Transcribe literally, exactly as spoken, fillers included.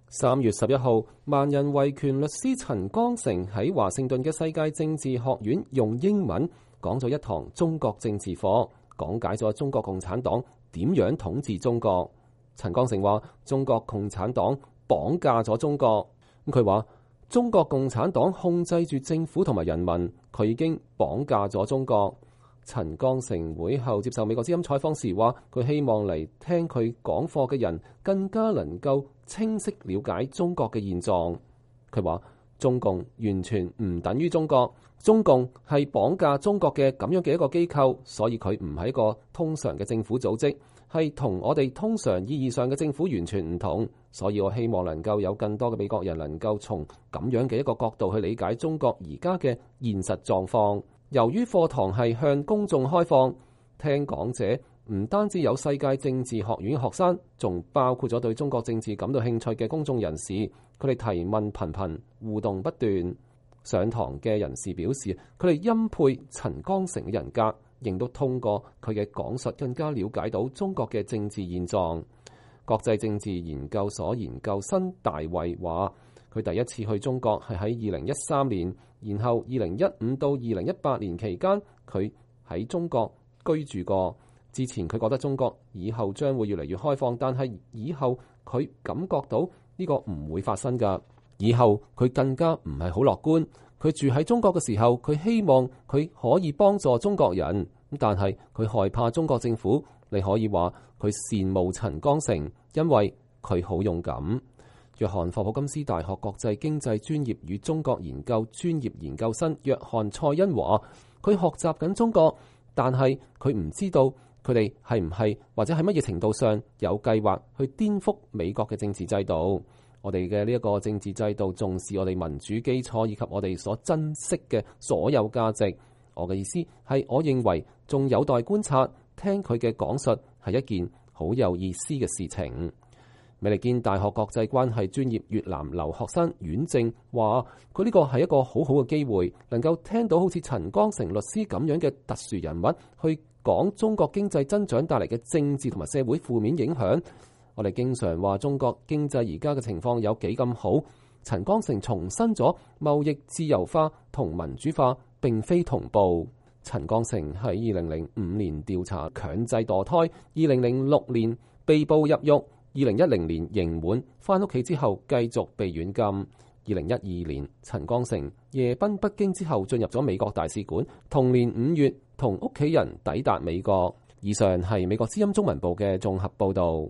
三月十一號，萬人維權律師陳光誠喺華盛頓嘅世界政治學院用英文講咗一堂中國政治課，講解咗中國共產黨點樣統治中國。陳光誠話：中國共產黨綁架咗中國。佢話中國共產黨控制住政府同埋人民，佢已經綁架咗中國。陳光誠會後接受美國之音採訪時話：佢希望嚟聽佢講課嘅人更加能夠清晰了解中國嘅現狀。佢話中共完全唔等於中國，中共係綁架中國嘅咁樣嘅一個機構，所以佢唔係一個通常嘅政府組織，係同我哋通常意義上嘅政府完全唔同。所以我希望能夠有更多嘅美國人能夠從咁樣嘅一個角度去理解中國而家嘅現實狀況。由於課堂係向公眾開放，聽講者唔單止有世界政治學院學生，仲包括咗對中國政治感到興趣嘅公眾人士。佢哋提問頻頻，互動不斷。上堂嘅人士表示，佢哋欽佩陳光誠嘅人格，亦都通過佢嘅講述更加了解到中國嘅政治現狀。國際政治研究所研究生大衛話，佢第一次去中國係喺二零一三年，然後二零一五到二零一八年期間，佢喺中國居住過。之前佢覺得中國以後將會越嚟越開放，但係以後佢感覺到呢個唔會發生㗎。以後佢更加唔係好樂觀。佢住喺中國嘅時候，佢希望佢可以幫助中國人，但係佢害怕中國政府。你可以話佢羨慕陳光誠，因為佢好勇敢。約翰霍普金斯大學國際經濟專業與中國研究專業研究生約翰蔡恩話：佢學習緊中國，但係佢唔知道佢哋係唔係或者喺乜嘢程度上有計劃去顛覆美國嘅政治制度。我哋嘅呢一個政治制度重視我哋民主基礎以及我哋所珍惜嘅所有價值。我嘅意思係，我認為仲有待觀察。聽佢嘅講述係一件好有意思嘅事情。美利堅大學國際關係專業越南留學生阮正話：佢呢個係一個好好嘅機會，能夠聽到好似陳光誠律師咁樣嘅特殊人物去講中國經濟增長帶嚟嘅政治同埋社會負面影響。我哋經常話中國經濟而家嘅情況有幾咁好，陳光誠重申咗貿易自由化同民主化並非同步。陳光誠喺二零零五年調查強制墮胎，二零零六年被捕入獄，二零一零年刑滿，返屋企之後繼續被軟禁。二零一二年，陳光誠夜奔北京之後進入咗美國大使館，同年五月同屋企人抵達美國。以上係美國之音中文部嘅綜合報導。